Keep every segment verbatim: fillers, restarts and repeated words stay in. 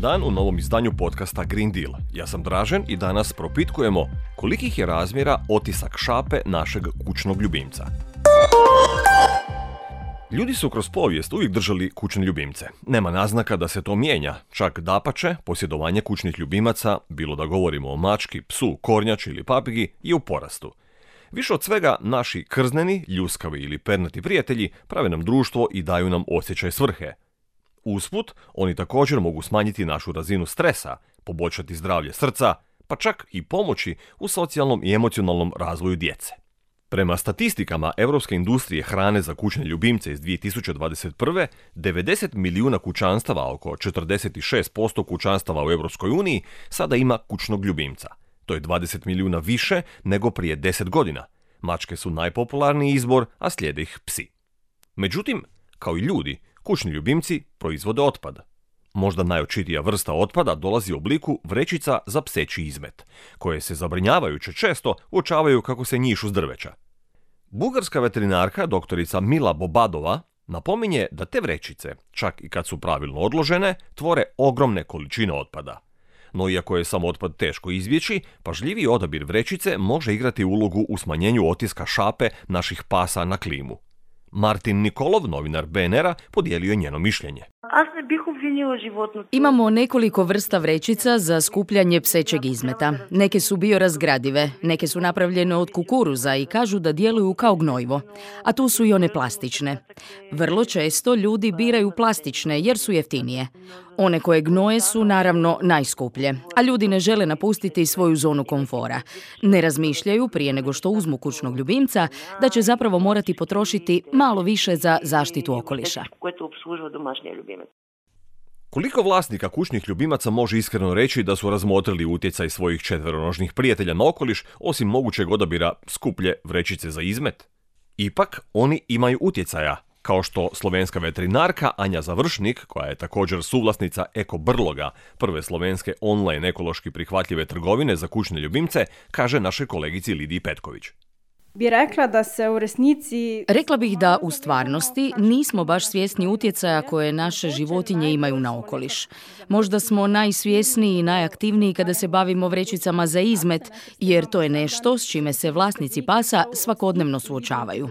Dobar dan u novom izdanju podcasta Green Deal. Ja sam Dražen i danas propitkujemo kolikih je razmjera otisak šape našeg kućnog ljubimca. Ljudi su kroz povijest uvijek držali kućne ljubimce. Nema naznaka da se to mijenja, čak dapače, posjedovanje kućnih ljubimaca, bilo da govorimo o mački, psu, kornjači ili papigi, je u porastu. Više od svega, naši krzneni, ljuskavi ili pernati prijatelji prave nam društvo i daju nam osjećaj svrhe. Usput, oni također mogu smanjiti našu razinu stresa, poboljšati zdravlje srca, pa čak i pomoći u socijalnom i emocionalnom razvoju djece. Prema statistikama Europske industrije hrane za kućne ljubimce iz dvije tisuće dvadeset prve. devedeset milijuna kućanstava, oko četrdeset šest posto kućanstava u Europskoj uniji, sada ima kućnog ljubimca. To je dvadeset milijuna više nego prije deset godina. Mačke su najpopularniji izbor, a slijede ih psi. Međutim, kao i ljudi, kućni ljubimci proizvode otpad. Možda najočitija vrsta otpada dolazi u obliku vrećica za pseći izmet, koje se zabrinjavajuće često uočavaju kako se njišu s drveća. Bugarska veterinarka doktorica Mila Bobadova napominje da te vrećice, čak i kad su pravilno odložene, tvore ogromne količine otpada. No iako je sam otpad teško izbjeći, pažljiviji odabir vrećice može igrati ulogu u smanjenju otiska šape naših pasa na klimu. Martin Nikolov, novinar B N R-a, podijelio je njeno mišljenje. Imamo nekoliko vrsta vrećica za skupljanje psećeg izmeta. Neke su biorazgradive, neke su napravljene od kukuruza i kažu da djeluju kao gnojivo, a tu su i one plastične. Vrlo često ljudi biraju plastične jer su jeftinije. One koje gnoje su naravno najskuplje, a ljudi ne žele napustiti svoju zonu komfora. Ne razmišljaju prije nego što uzmu kućnog ljubimca da će zapravo morati potrošiti malo više za zaštitu okoliša. Koliko vlasnika kućnih ljubimaca može iskreno reći da su razmotrili utjecaj svojih četveronožnih prijatelja na okoliš, osim mogućeg odabira skuplje vrećice za izmet? Ipak, oni imaju utjecaja, kao što slovenska veterinarka Anja Završnik, koja je također suvlasnica Eko Brloga, prve slovenske online ekološki prihvatljive trgovine za kućne ljubimce, kaže našoj kolegici Lidiji Petković. Bi rekla da se u resnici... Rekla bih da u stvarnosti nismo baš svjesni utjecaja koje naše životinje imaju na okoliš. Možda smo najsvjesniji i najaktivniji kada se bavimo vrećicama za izmet, jer to je nešto s čime se vlasnici pasa svakodnevno suočavaju.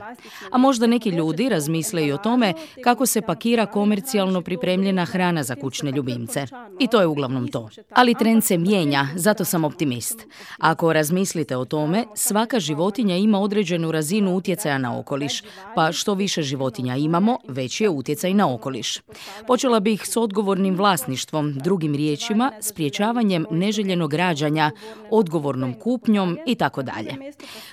A možda neki ljudi razmisle i o tome kako se pakira komercijalno pripremljena hrana za kućne ljubimce. I to je uglavnom to. Ali trend se mijenja, zato sam optimist. Ako razmislite o tome, svaka životinja ima određenu razinu utjecaja na okoliš, pa što više životinja imamo, veći je utjecaj na okoliš. Počela bih s odgovornim vlasništvom, drugim riječima, sprječavanjem neželjenog rađanja, odgovornom kupnjom i tako dalje.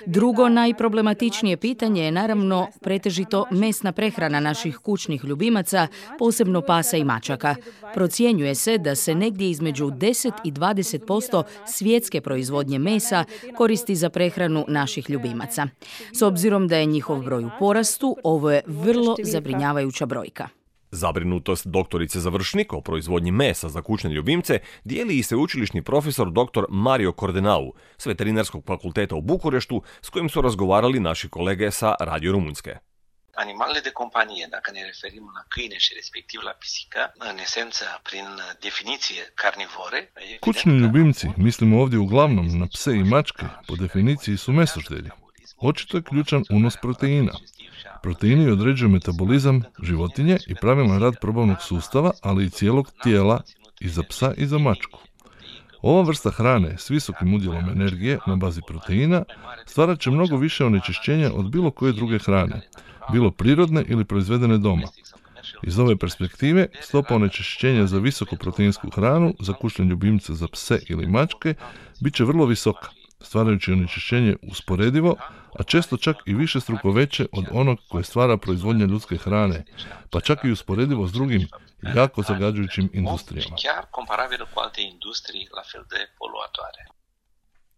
Drugo najproblematičnije pitanje je naravno pretežito mesna prehrana naših kućnih ljubimaca, posebno pasa i mačaka. Procjenjuje se da se negdje između deset i dvadeset posto svjetske proizvodnje mesa koristi za prehranu naših ljubimaca. S obzirom da je njihov broj u porastu, ovo je vrlo zabrinjavajuća brojka. Zabrinutost doktorice Završnik o proizvodnji mesa za kućne ljubimce dijeli i sveučilišni profesor dr. Mario Cordenau s Veterinarskog fakulteta u Bukureštu, s kojim su razgovarali naši kolege sa Radio Rumunjske. Animalele de companie, dacă ne referim la câine și respectiv la pisică, în esență, prin definiție carnivore... Kućni ljubimci, mislimo ovdje uglavnom na pse i mačke, po definiciji su mesoždelji. Očito je ključan unos proteina. Proteini određuju metabolizam životinje i pravilan rad probavnog sustava, ali i cijelog tijela i za psa i za mačku. Ova vrsta hrane s visokim udjelom energije na bazi proteina stvarat će mnogo više onečišćenja od bilo koje druge hrane, bilo prirodne ili proizvedene doma. Iz ove perspektive, stopa onečišćenja za visokoproteinsku hranu za kućne ljubimce za pse ili mačke bit će vrlo visoka, stvarajući onečišćenje usporedivo, a često čak i višestruko veće od onog koje stvara proizvodnja ljudske hrane, pa čak i usporedivo s drugim jako zagađujućim industrijama.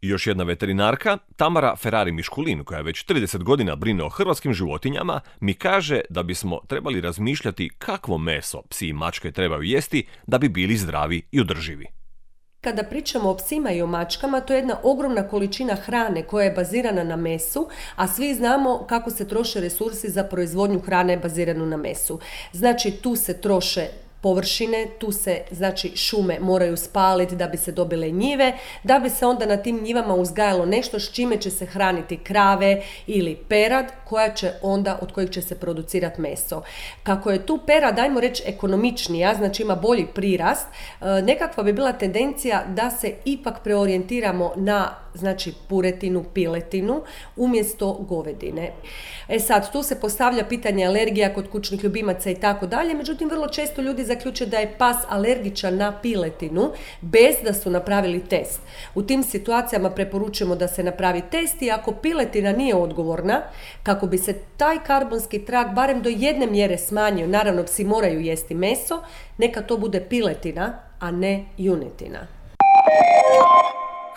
I još jedna veterinarka, Tamara Ferrari-Miškulin, koja već trideset godina brine o hrvatskim životinjama, mi kaže da bismo trebali razmišljati kakvo meso psi i mačke trebaju jesti da bi bili zdravi i održivi. Kada pričamo o psima i o mačkama, to je jedna ogromna količina hrane koja je bazirana na mesu, a svi znamo kako se troše resursi za proizvodnju hrane baziranu na mesu. Znači, tu se troše površine, tu se znači šume moraju spaliti da bi se dobile njive, da bi se onda na tim njivama uzgajalo nešto s čime će se hraniti krave ili perad koja će onda, od kojih će se producirati meso. Kako je tu perad, ajmo reći, ekonomičnija, znači ima bolji prirast, nekakva bi bila tendencija da se ipak preorijentiramo na znači puretinu, piletinu umjesto govedine. E sad, tu se postavlja pitanje alergija kod kućnih ljubimaca i tako dalje, međutim vrlo često ljudi zaključe da je pas alergičan na piletinu bez da su napravili test. U tim situacijama preporučujemo da se napravi test i ako piletina nije odgovorna, kako bi se taj karbonski trag barem do jedne mjere smanjio, naravno psi moraju jesti meso, neka to bude piletina, a ne junetina.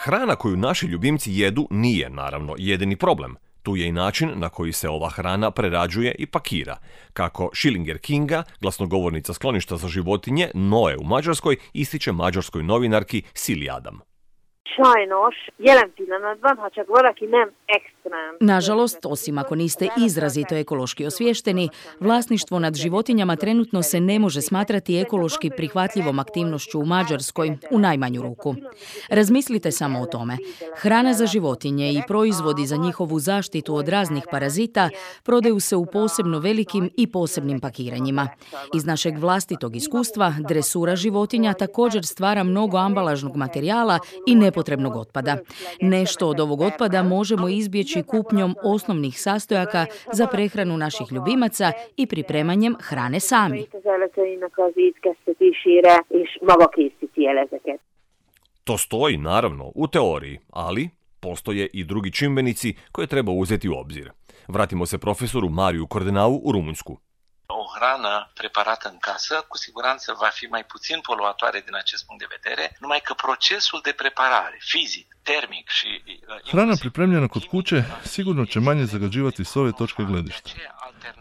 Hrana koju naši ljubimci jedu nije, naravno, jedini problem. Tu je i način na koji se ova hrana prerađuje i pakira. Kako Schillinger Kinga, glasnogovornica skloništa za životinje Noe u Mađarskoj, ističe mađarskoj novinarki Sili Adam. Sajnos, jelen pillanatban, ha csak valaki nem extrém. Nažalost, osim ako niste izrazito ekološki osviješteni, vlasništvo nad životinjama trenutno se ne može smatrati ekološki prihvatljivom aktivnošću u Mađarskoj, u najmanju ruku. Razmislite samo o tome. Hrana za životinje i proizvodi za njihovu zaštitu od raznih parazita prodaju se u posebno velikim i posebnim pakiranjima. Iz našeg vlastitog iskustva, dresura životinja također stvara mnogo ambalažnog materijala i nepotrebnog otpada. Nešto od ovog otpada možemo izbjeći kupnjom osnovnih sastojaka za prehranu naših ljubimaca i pripremanjem hrane sami. To stoji, naravno, u teoriji, ali postoje i drugi čimbenici koje treba uzeti u obzir. Vratimo se profesoru Mariu Cordenau u Rumunjsku. O hrană preparată în casă, cu siguranță va fi mai puțin poluatoare din acest punct de vedere, numai că procesul de preparare, fizic, termic și... Hrana pripremljena kod kuće sigurno će manje zagađivati s ove točke gledišta.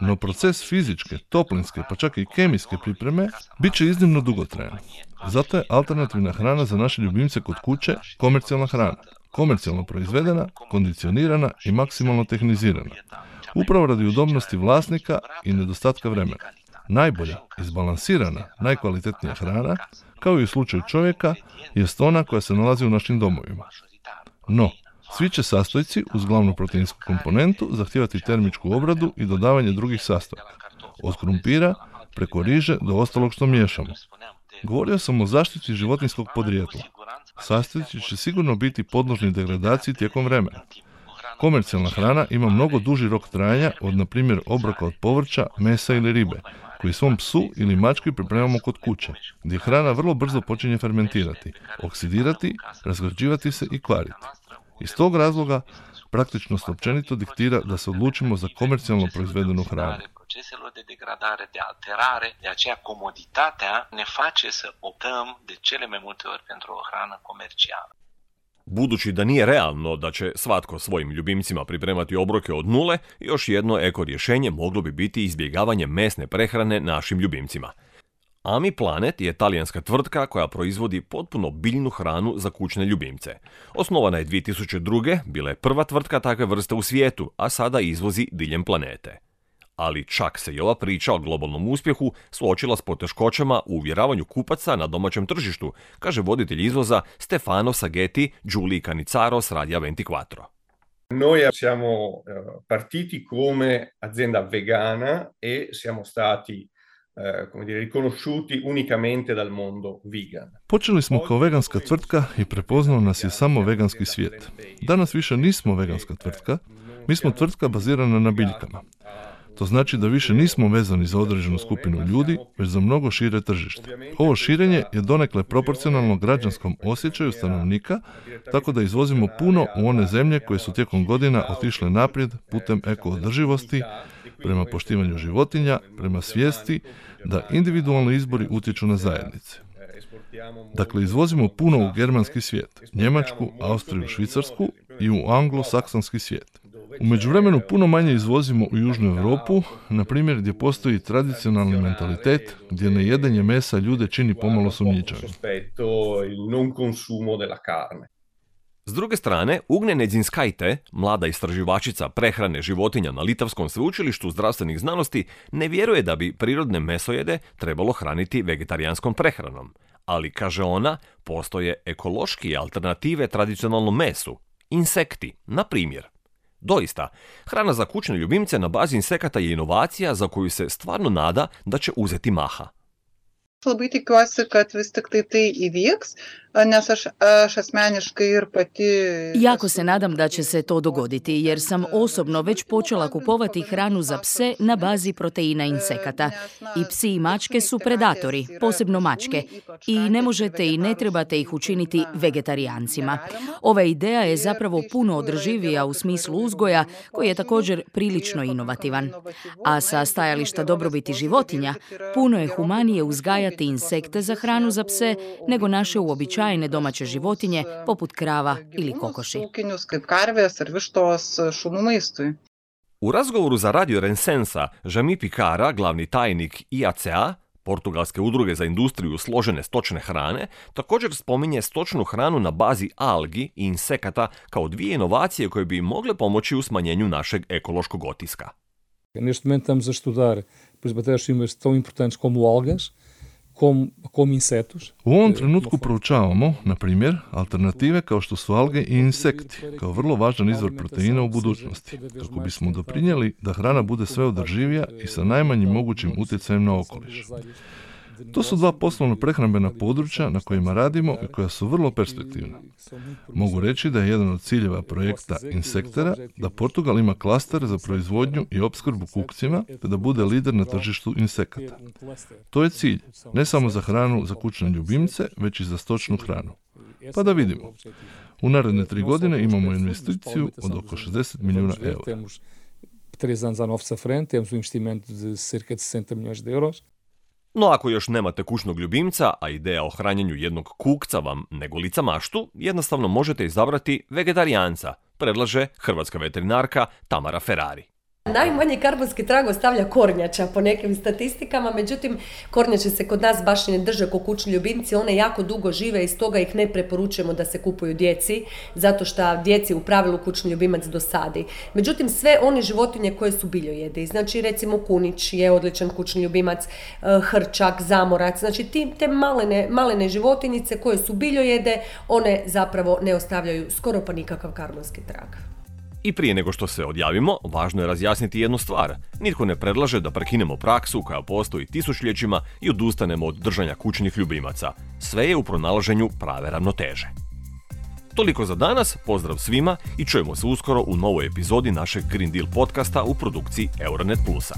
No proces fizičke, toplinske pa čak i kemijske pripreme bit će iznimno dugotrajan. Zato je alternativna hrana za naše ljubimce kod kuće komercijalna hrana. Komercijalno proizvedena, kondicionirana i maksimalno tehnizirana. Upravo radi udobnosti vlasnika i nedostatka vremena. Najbolja, izbalansirana, najkvalitetnija hrana, kao i u slučaju čovjeka, jest ona koja se nalazi u našim domovima. No, svi će sastojci uz glavnu proteinsku komponentu zahtijevati termičku obradu i dodavanje drugih sastojaka. Od krumpira, preko riže do ostalog što miješamo. Govorio sam o zaštiti životinjskog podrijetla. Sastojci će sigurno biti podložni degradaciji tijekom vremena. Komercijalna hrana ima mnogo duži rok trajanja od, na primjer, obroka od povrća, mesa ili ribe, koji svom psu ili mački pripremamo kod kuće, gdje hrana vrlo brzo počinje fermentirati, oksidirati, razgrađivati se i kvariti. Iz tog razloga, praktičnost općenito diktira da se odlučimo za komercijalno proizvedenu hranu. Proceselor de degradare, de alterare, de aceea comoditatea ne face să optăm de cele mai multe ori pentru o hrană comercială. Budući da nije realno da će svatko svojim ljubimcima pripremati obroke od nule, još jedno eko rješenje moglo bi biti izbjegavanje mesne prehrane našim ljubimcima. Ami Planet je talijanska tvrtka koja proizvodi potpuno biljnu hranu za kućne ljubimce. Osnovana je dvije tisuće druge. bila je prva tvrtka takve vrste u svijetu, a sada izvozi diljem planete. Ali čak se i ova priča o globalnom uspjehu suočila s poteškoćama u uvjeravanju kupaca na domaćem tržištu, kaže voditelj izvoza Stefano Saghetti Giulii Canizzaro s Radija ventiquattro. Noi siamo partiti come azienda vegana e siamo stati come dire, riconosciuti unicamente dal mondo vegan. Počeli smo kao veganska tvrtka i prepoznao nas je samo veganski svijet. Danas više nismo veganska tvrtka, mi smo tvrtka bazirana na biljkama. To znači da više nismo vezani za određenu skupinu ljudi, već za mnogo šire tržište. Ovo širenje je donekle proporcionalno građanskom osjećaju stanovnika, tako da izvozimo puno u one zemlje koje su tijekom godina otišle naprijed putem eko-održivosti, prema poštivanju životinja, prema svijesti da individualni izbori utječu na zajednice. Dakle, izvozimo puno u germanski svijet, Njemačku, Austriju, Švicarsku i u anglosaksonski svijet. U međuvremenu puno manje izvozimo u Južnu Europu, na primjer gdje postoji tradicionalni mentalitet, gdje nejedenje mesa ljude čini pomalo sumnjičavim. S druge strane, Ugnė Nedzinskaitė, mlada istraživačica prehrane životinja na Litavskom sveučilištu zdravstvenih znanosti, ne vjeruje da bi prirodne mesojede trebalo hraniti vegetarijanskom prehranom. Ali, kaže ona, postoje ekološki alternative tradicionalnom mesu. Insekti, na primjer. Doista, hrana za kućne ljubimce na bazi insekata je inovacija za koju se stvarno nada da će uzeti maha. Labai tikiuosi, kad vis tik tai tai įvyks, nes aš, aš asmeniškai ir pati... Jako se nadam da će se to dogoditi, jer sam osobno već počela kupovati hranu za pse na bazi proteina insekata. I psi i mačke su predatori, posebno mačke, i ne možete i ne trebate ih učiniti vegetarijancima. Ova ideja je zapravo puno održivija u smislu uzgoja, koji je također prilično inovativan. A sa stajališta dobrobiti životinja, puno je humanije uzgajati insekte za hranu za pse nego naše uobičajene domaće životinje poput krava ili kokoši. U razgovoru za Radio Rensensa, Jami Picara, glavni tajnik I A C A, portugalske udruge za industriju složene stočne hrane, također spominje stočnu hranu na bazi algi i insekata kao dvije inovacije koje bi mogle pomoći u smanjenju našeg ekološkog otiska. Neste momento estamos a estudar as matérias-primas tão importantes como algas, como, como insetos. U ovom trenutku proučavamo, na primjer, alternative kao što su alge i insekti, kao vrlo važan izvor proteina u budućnosti, kako bismo doprinijeli da hrana bude sve održivija i sa najmanjim mogućim utjecajem na okoliš. To su dva poslovno prehrambena područja na kojima radimo i koja su vrlo perspektivna. Mogu reći da je jedan od ciljeva projekta Insektera da Portugal ima klaster za proizvodnju i opskrbu kukcima te da bude lider na tržištu insekata. To je cilj, ne samo za hranu za kućne ljubimce, već i za stočnu hranu. Pa da vidimo. U naredne tri godine imamo investiciju od oko šezdeset milijuna eura. Três anos à nossa frente, temos um investimento de cerca de sessenta milhões de euros. No ako još nemate kućnog ljubimca, a ideja o hranjenju jednog kukca vam ne golica maštu, jednostavno možete izabrati vegetarijanca, predlaže hrvatska veterinarka Tamara Ferrari. Najmanji karbonski trag ostavlja kornjača po nekim statistikama, međutim kornjače se kod nas baš i ne drže kao kućni ljubimci, one jako dugo žive i stoga ih ne preporučujemo da se kupuju djeci, zato što djeci u pravilu kućni ljubimac dosadi. Međutim, sve one životinje koje su biljojede, znači recimo kunić je odličan kućni ljubimac, hrčak, zamorac, znači ti, te malene, malene životinjice koje su biljojede, one zapravo ne ostavljaju skoro pa nikakav karbonski trag. I prije nego što se odjavimo, važno je razjasniti jednu stvar. Nitko ne predlaže da prekinemo praksu koja postoji tisućljećima i odustanemo od držanja kućnih ljubimaca. Sve je u pronalaženju prave ravnoteže. Toliko za danas, pozdrav svima i čujemo se uskoro u novoj epizodi našeg Green Deal podcasta u produkciji Euronet Plusa.